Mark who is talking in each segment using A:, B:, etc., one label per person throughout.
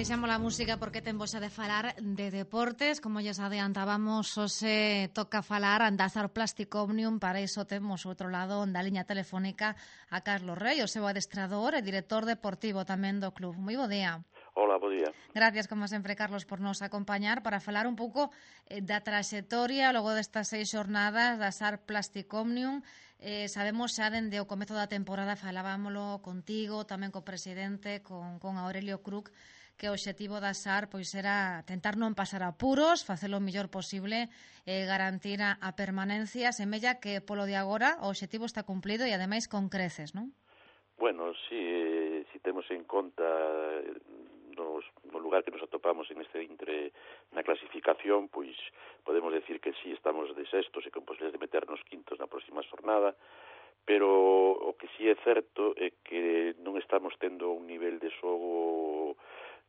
A: Deixamos a música porque temos a de falar de deportes. Como lles adiantábamos, hoxe toca falar da Azar Plastic Omnium. Para iso temos outro lado da liña telefónica a Carlos Rey, o seu adestrador e director deportivo tamén do club. Moi bo día.
B: Hola, bo día.
A: Gracias, como sempre, Carlos, por nos acompañar para falar un pouco da traxectoria logo destas 6 xornadas da Azar Plastic Omnium. Sabemos xa dende o comezo da temporada, falábamolo contigo, tamén co presidente, con Aurelio Cruz, que o obxectivo da SAR pois era tentar non pasar apuros, facelo o mellor posible, garantir a permanencia. Semella que polo de agora o obxectivo está cumplido e ademais con creces, non?
B: Bueno, si temos en conta no lugar que nos atopamos en este intre na clasificación, pois podemos decir que si estamos de sextos e con posibilidades de meternos quintos na próxima xornada, pero o que si é certo é que non estamos tendo un nivel de xogo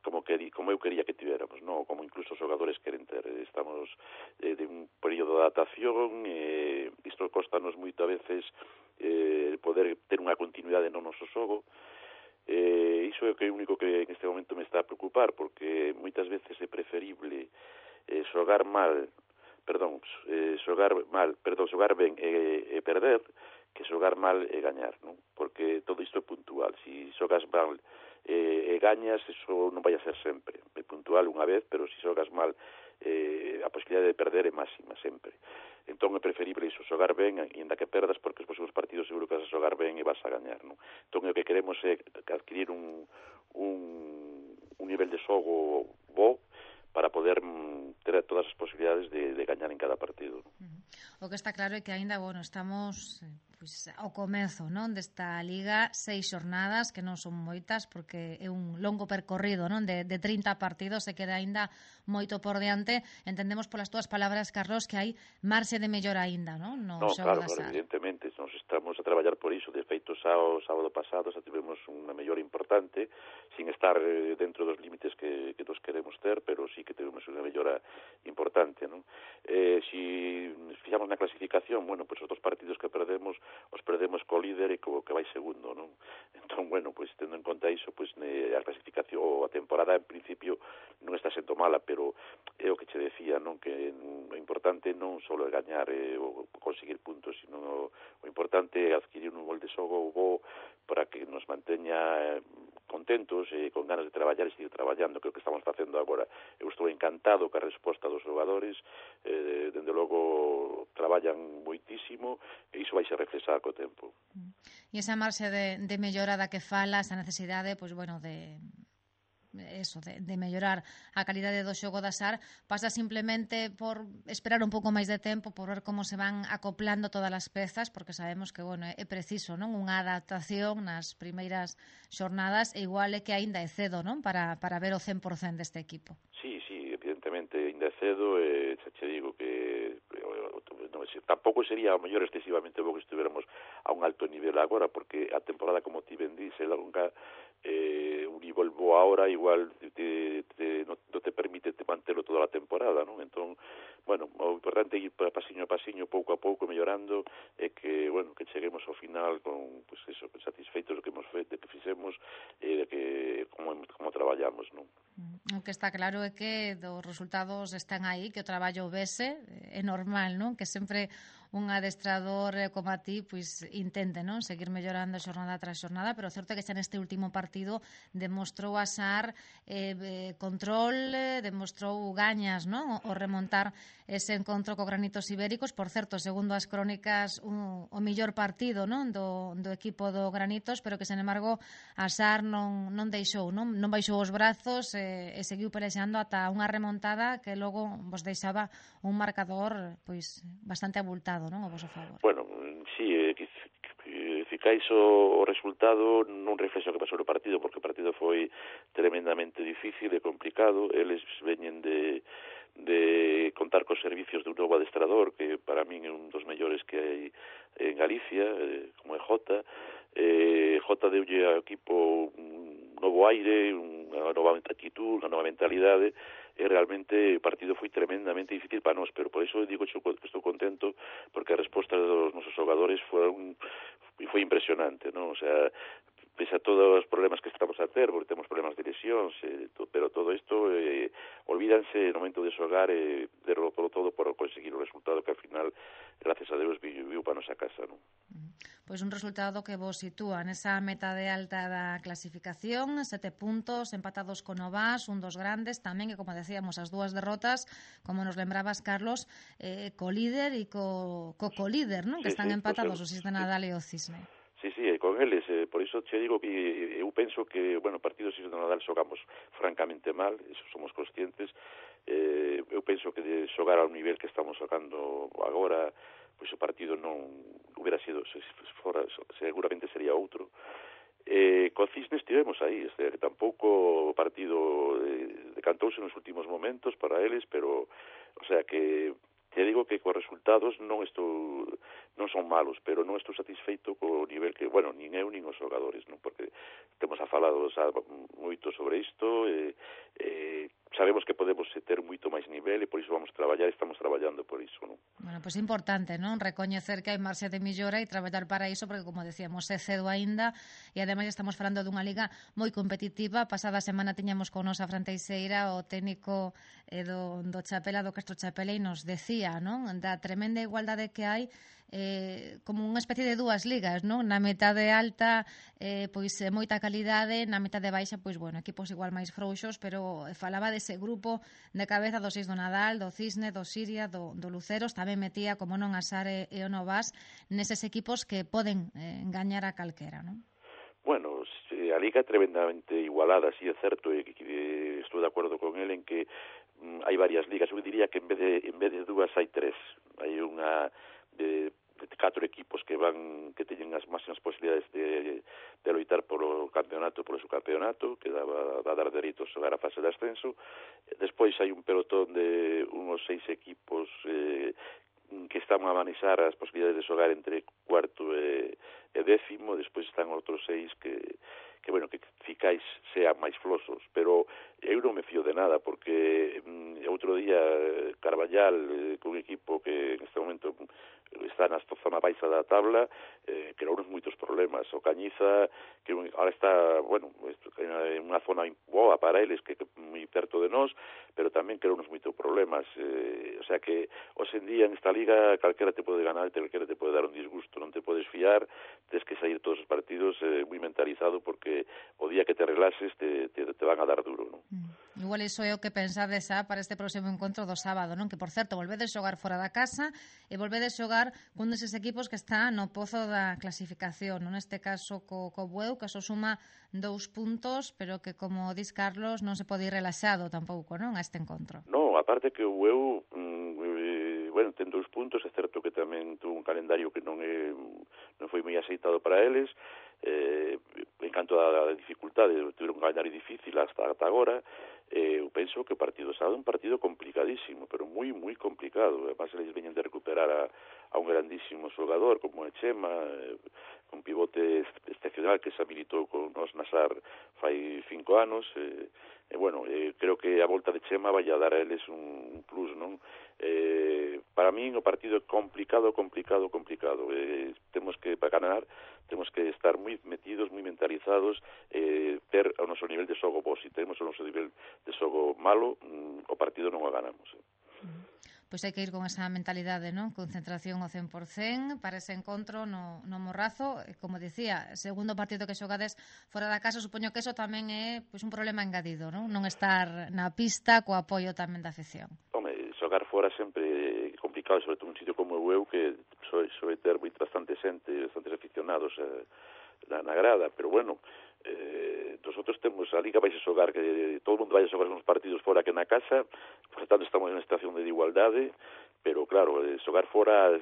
B: como eu quería que tivéramos, no? Como incluso os xogadores queren ter. Estamos de un período de adaptación, isto costanos moito a veces poder ter unha continuidade no noso xogo. Iso é o único que en este momento me está a preocupar, porque moitas veces é preferible xogar ben e perder que xogar mal e gañar, non? Porque todo isto é puntual. Si xogas mal e gañas, eso non vai a ser sempre. É puntual unha vez, pero si xogas mal, a posibilidade de perder é máxima sempre. Entón é preferible iso, xogar ben, e ainda que perdas, porque os próximos partidos seguro que vas a xogar ben e vas a gañar, non? Entón o que queremos é adquirir un nivel de xogo bo para poder ter todas as posibilidades de gañar en cada partido, non?
A: O que está claro é que aínda, estamos pois ao comezo, non, desta liga, 6 xornadas, que non son moitas, porque é un longo percorrido, non, de 30 partidos, e queda aínda moito por diante. Entendemos polas túas palabras, Carlos, que hai marxe de mellor aínda, non, no xogo da SAR.
B: Evidentemente, nos estamos a traballar por iso. De feito, sábado pasado xa tivemos unha mellor importante, sin estar dentro dos límites que nos queremos ter, pero sí que tivemos unha mellora importante, non? Si fixamos na clasificación, pois os dos partidos que perdemos, os perdemos co líder e co que vai segundo, non? Entón, pois tendo en conta iso, pois a clasificación ou a temporada en principio non está sendo mala, pero é o que che decía, non? Que o importante non só é gañar ou conseguir puntos, sino o importante é adquirir un gol de xogo bo para que nos manteña contentos e con ganas de traballar e seguir traballando, que é o que estamos facendo agora. Eu estou encantado ca resposta dos xogadores, dende logo traballan moitísimo e iso vai se reflexar co tempo.
A: E esa marxe de mellora da que falas, a necesidade, de mellorar a calidade do xogo da SAR, pasa simplemente por esperar un pouco máis de tempo, por ver como se van acoplando todas as pezas, porque sabemos que, é preciso, non, unha adaptación nas primeiras xornadas, e igual é que aínda é cedo, non, para ver o 100% deste equipo.
B: Sí, evidentemente, aínda é cedo, che digo que tampouco sería o mellor excesivamente bo que estuviéramos a un alto nivel agora, porque a temporada, como ti ben dice, longa, un nivel bo agora igual non te permite mantelo toda a temporada, non? Entón, o importante é ir pasiño a pasiño, pouco a pouco, mellorando, e que cheguemos ao final con, pois eso, satisfeitos do que hemos feito, de que fixemos e de que como traballamos, non?
A: O que está claro é que os resultados están aí, que o traballo vese, é normal, non? Que sempre un adestrador como a ti pois intente, non, seguir mellorando xornada tras xornada, pero o certo é que xa neste último partido demostrou a SAR control, demostrou gañas, non, o remontar ese encontro co Granitos Ibéricos. Por certo, segundo as crónicas, o mellor partido, non, do equipo do Granitos, pero que, sen embargo, a SAR non deixou, non baixou os brazos e seguiu pelexando ata unha remontada que logo vos deixaba un marcador pois bastante abultado, non, a vosso favor.
B: Sí, ficais o resultado non reflexa o que pasou no partido, porque o partido foi tremendamente difícil e complicado. Eles veñen de contar cos servicios de un novo adestrador, que para min é un dos mellores que hai en Galicia, como é Jota. Jota deulle ao equipo un novo aire, unha nova actitud, unha nova mentalidade, e realmente o partido foi tremendamente difícil para nós, pero por iso digo que estou contento, porque a resposta dos nosos xogadores foi impresionante, non? O sea, pese a todos os problemas que estamos a ter, porque temos problemas de lesións, pero todo isto olvídanse no momento de xogar derlo todo por conseguir o resultado que al final, gracias a Deus, viu para nosa casa, non?
A: Pois un resultado que vos sitúa nesa meta de alta da clasificación, 7 puntos, empatados con Novas, un dos grandes, tamén, que como decíamos, as dúas derrotas, como nos lembrabas, Carlos, co líder e co colíder, non? Que están empatados, o Sis de Nadal e o Cisne.
B: Sí, con eles, por iso te digo que eu penso que, bueno, partidos Sis de Nadal xogamos francamente mal, eso somos conscientes. Eu penso que de xogar ao nivel que estamos xogando agora, pois o partido non hubiera sido, se fora, seguramente sería outro. Co Cisne estivemos aí, que tampouco o partido decantouse nos últimos momentos para eles, pero, o sea, que te digo que cos resultados non son malos, pero non estou satisfeito co nivel que, bueno, nin eu nin os xogadores, non? Porque temos falado moito sobre isto, sabemos que podemos ter moito máis nivel e por iso vamos traballar, estamos traballando por iso, non?
A: Bueno, pois é importante, non? Recoñecer que hai marxe de millora e traballar para iso, porque, como decíamos, é cedo aínda e, ademais, estamos falando dunha liga moi competitiva. Pasada semana tiñamos con nos a Fran Teixeira, o técnico do Chapela, do Castro Chapela, e nos decía, non? Da tremenda igualdade que hai, como unha especie de dúas ligas, non? Na metade alta, pois moita calidade, na metade baixa, pois, bueno, equipos igual máis frouxos, pero falaba dese grupo de cabeza do Sis do Nadal, do Cisne, do Siria, do Luceros, tamén metía, como non, a Sare e o Novas neses equipos que poden engañar a calquera, non?
B: Bueno, a liga é tremendamente igualada, sí é certo, e estou de acordo con ele en que hai varias ligas. Eu diría que en vez de dúas hai tres. Hai unha de 4 equipos que teñen as máximas posibilidades de loitar polo campeonato, polo subcampeonato, que va a dar dereito a xogar a fase de ascenso. Despois hai un pelotón de unos 6 equipos que están a manexar as posibilidades de xogar entre cuarto e décimo. Despois están outros 6 que bueno, que ficais sean máis flosos, pero eu non me fío de nada, porque outro día Carballal, que un equipo que en este momento está na zona baixa da tabla, creounos moitos problemas. O Cañiza, que ahora está, bueno, en unha zona boa para eles, que moi perto de nós, pero tamén creounos moitos problemas. O sea que, hoxe en día, en esta liga, calquera te pode ganar, calquera te pode dar un disgusto, non te podes fiar, tens que sair todos os partidos moi mentalizado, porque o día que te relaxes te van a dar duro, non?
A: Igual iso é o que pensades para este próximo encontro do sábado, non? Que, por certo, volvedes xogar fora da casa e volvedes xogar cun deses equipos que está no pozo da clasificación, non? Neste caso co Bueu, que só suma 2 puntos, pero que, como dis Carlos, non se pode ir relaxado tampouco, non? A este encontro.
B: Non, aparte que o Bueu, bueno, ten 2 puntos, é certo que tamén tuvo un calendario que non foi moi aceitado para eles, en canto a dificultade, tiveron un calendario difícil hasta agora. Eu penso que o partido sábado é un partido complicadísimo, pero moi complicado. Además, eles veñen de recuperar a un grandísimo xogador como é Chema, un pivote excepcional que se habilitou con nos Nasar fai 5 anos. Bueno, creo que a volta de Chema vai a dar a eles un plus, non? Para min o partido é complicado. Temos que, para ganar, temos que estar moi metidos, moi mentalizados, ter o noso nivel de xogo bo. Se temos o noso nivel de xogo malo, o partido non o ganamos.
A: Pois hai que ir con esa mentalidade, non? Concentración ao 100% para ese encontro no Morrazo. Como dicía, segundo partido que xogades fora da casa, supoño que eso tamén é pois un problema engadido, non? Non estar na pista co apoio tamén da afición.
B: Home, xogar fora sempre é complicado, sobre todo un sitio como eu, que soe ter bastantes aficionados na grada, pero bueno, nosotros temos a liga vais a xogar, que todo o mundo vai a xogar uns partidos fora que na casa, por tanto estamos en unha situación de igualdade, pero claro, xogar fora,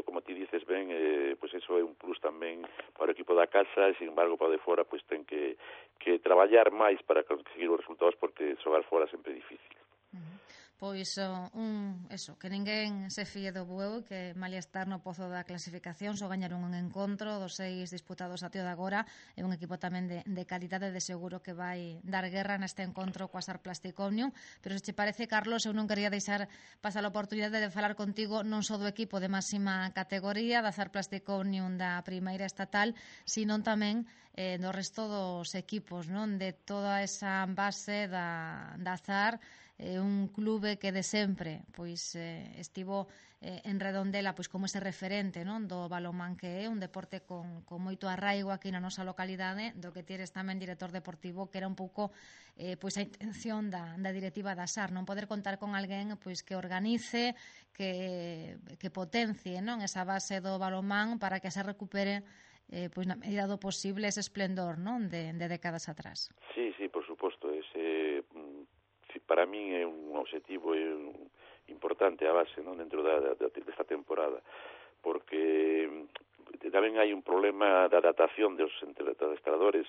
B: como ti dices ben, pois eso é un plus tamén para o equipo da casa, e sin embargo para o de fora pois ten que traballar máis para conseguir os resultados, porque xogar fora sempre é difícil.
A: Pois eso, que ninguén se fíe do bueu, que malia estar no pozo da clasificación só gañaron un encontro dos 6 disputados a tío de agora, é un equipo tamén de calidade, de seguro que vai dar guerra neste encontro coa Sar Plastic Omnium. Pero se che parece, Carlos, eu non quería deixar pasar a oportunidade de falar contigo non só do equipo de máxima categoría da Sar Plastic Omnium da primeira estatal, sino tamén do resto dos equipos, non? De toda esa base da Zar, un clube que de sempre pois estivo en Redondela pois como ese referente, non, do balonmán, que é un deporte con moito arraigo aquí na nosa localidade, do que tires tamén director deportivo, que era un pouco pois a intención da directiva da SAR, non poder contar con alguén pois que organice, que potencie, non, esa base do balonmán para que se recupere pois na medida do posible ese esplendor, non, de décadas atrás.
B: Sí, por suposto, ese para mí é un objetivo importante a base, non, dentro desta temporada, porque tamén hai un problema de adaptación dos adestradores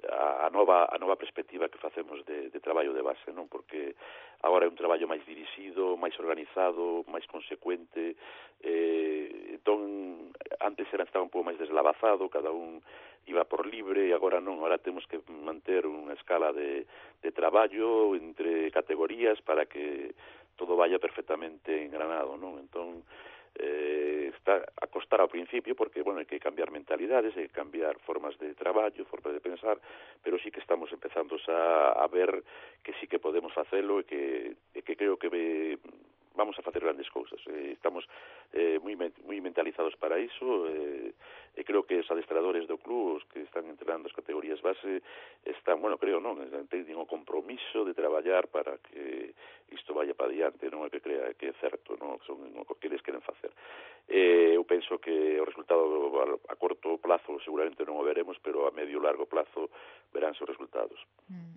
B: a nova perspectiva que facemos de traballo de base, non? Porque agora é un traballo máis dirixido, máis organizado, máis consecuente, entón antes estaba un pouco máis deslavazado, cada un iba por libre, e agora non, agora temos que manter unha escala de traballo entre categorías para que todo vaya perfectamente engranado, non? Entón está a costar ao principio porque, bueno, hai que cambiar mentalidades, hai que cambiar formas de traballo, formas de pensar, pero sí que estamos empezando a ver que sí que podemos facelo e que creo que vamos a facer grandes cousas. Estamos moi mentalizados para iso, e creo que os adestradores do club, os que están entrenando as categorías base, están, bueno, creo, non, teñen o compromiso de traballar para que isto vaya para diante, non é que crea que é certo, non, son o que eles queren facer. Eu penso que o resultado a corto plazo seguramente non o veremos, pero a medio e largo plazo veránse os resultados.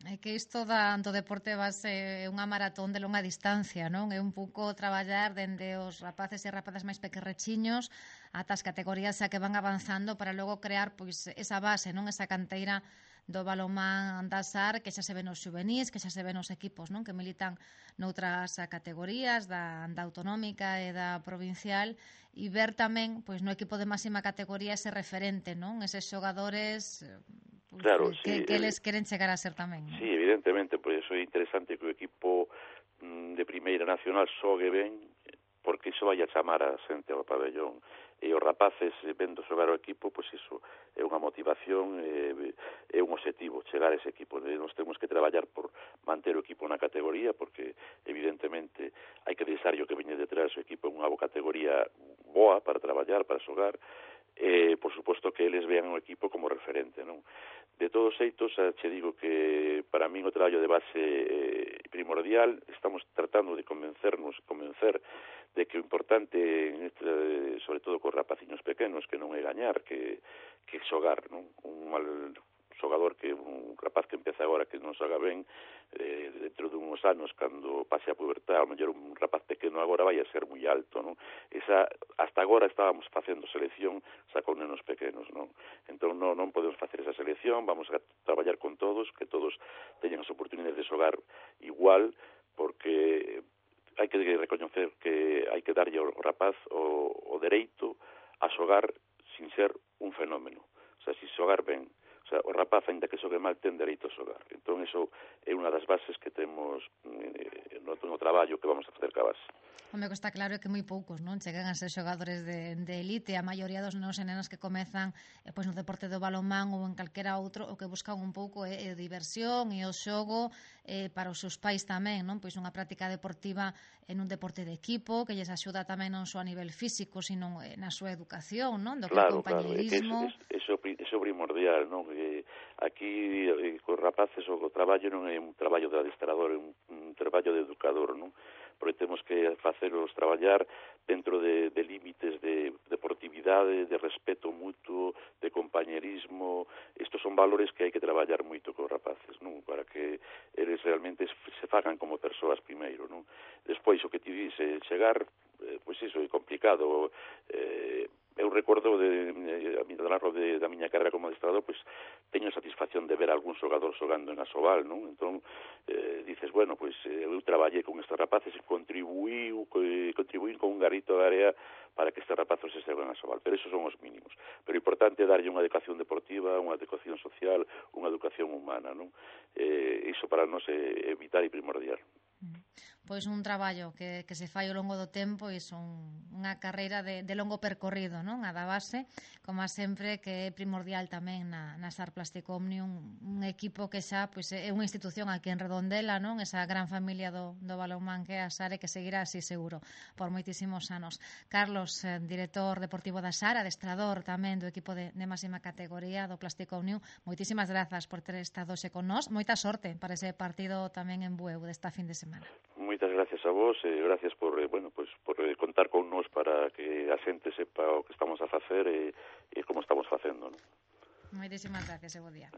A: É que isto do deporte base é unha maratón de longa distancia, non? É un pouco traballar dende os rapaces e rapazas máis pequerrechiños ata as categorías a que van avanzando para logo crear pois esa base, non, esa canteira do balonmán da SAR, que xa se ven os xuvenís, que xa se ven os equipos, non, que militan noutras categorías da autonómica e da provincial, e ver tamén pois no equipo de máxima categoría ese referente, non, eses xogadores pois,
B: claro,
A: que eles queren chegar a ser tamén, non?
B: Sí, evidentemente, por iso é interesante que o equipo de primeira nacional xogue ben, porque iso vai a chamar a xente ao pabellón, e os rapaces vendo xogar o equipo, pois iso é unha motivación, é un objetivo chegar a ese equipo. Nos temos que traballar por manter o equipo na categoría, porque evidentemente hai que deixar o que veñe detrás o equipo en unha categoría boa para traballar, para xogar, por suposto que eles vean o equipo como referente, non? De todos xeitos, che digo que para min o traballo de base primordial, estamos tratando de convencer de que o importante, sobre todo cos rapaciños pequenos, que non é gañar, que xogar, non? Un mal xogador, que un rapaz que empeza agora que non xoga ben, dentro de uns anos, cando pase a pubertad, ao mellor un rapaz pequeno agora vai a ser moi alto, non? Hasta agora estábamos facendo selección xa con nenos pequenos, non? Entón non podemos facer esa selección, vamos a traballar con todos, que todos teñan as oportunidades de xogar igual, porque hai que recoñecer que hai que darlle ao rapaz o dereito a xogar sin ser un fenómeno. O sea, si xogar ben, o sea, o rapaz, ainda que xogue mal, ten dereito a xogar. Entón, iso é unha das bases que temos no traballo que vamos a facer ca base.
A: Home, que está claro que moi poucos, non, chegan a ser xogadores de elite. A maioría dos nenos e nenas que comezan pois no deporte do balonmán ou en calquera outro, o que buscan un pouco é diversión e o xogo para os seus pais tamén, non? Pois unha práctica deportiva en un deporte de equipo que lles axuda tamén non só a nivel físico, sino na súa educación, non? Do que é compañerismo.
B: Claro, eso primordial, non? Aquí cos rapaces o traballo non é un traballo de adestrador, é un traballo de educador, non? Porque temos que faceros traballar dentro de límites de deportividade, de respeto mutuo, de compañerismo. Estos son valores que hai que traballar moito cos rapaces, non? Para que eles realmente se fagan como persoas primeiro, non? Despois, o que ti dice, chegar, pois iso é complicado. Eu recordo da miña carreira como adestrador, pois teño satisfacción de ver algún xogador xogando en Asobal, non? Entón, dices, bueno, pois eu traballei con estes rapaces e contribuín con un garrito de area para que estes rapazos se saiban a Sobal, pero esos son os mínimos. Pero o importante é darlle unha educación deportiva, unha educación social, unha educación humana, non? Iso para nós é vital e primordial.
A: Pois un traballo que se fai ao longo do tempo e son unha carreira de longo percorrido, non? A da base, como sempre, que é primordial tamén na SAR Plastic Omnium, un equipo que xa pois, é unha institución aquí en Redondela, non? Esa gran familia do balonmán que é a SAR e que seguirá así seguro por moitísimos anos. Carlos, director deportivo da SAR, adestrador tamén do equipo de máxima categoría do Plastic Omnium, moitísimas grazas por ter estado xe con nós, moita sorte para ese partido tamén en Bueu desta fin de semana.
B: Moitas gracias a vos e gracias por contar con nós para que a xente sepa o que estamos a facer e como estamos facendo, non?
A: Moitísimas gracias e bo día.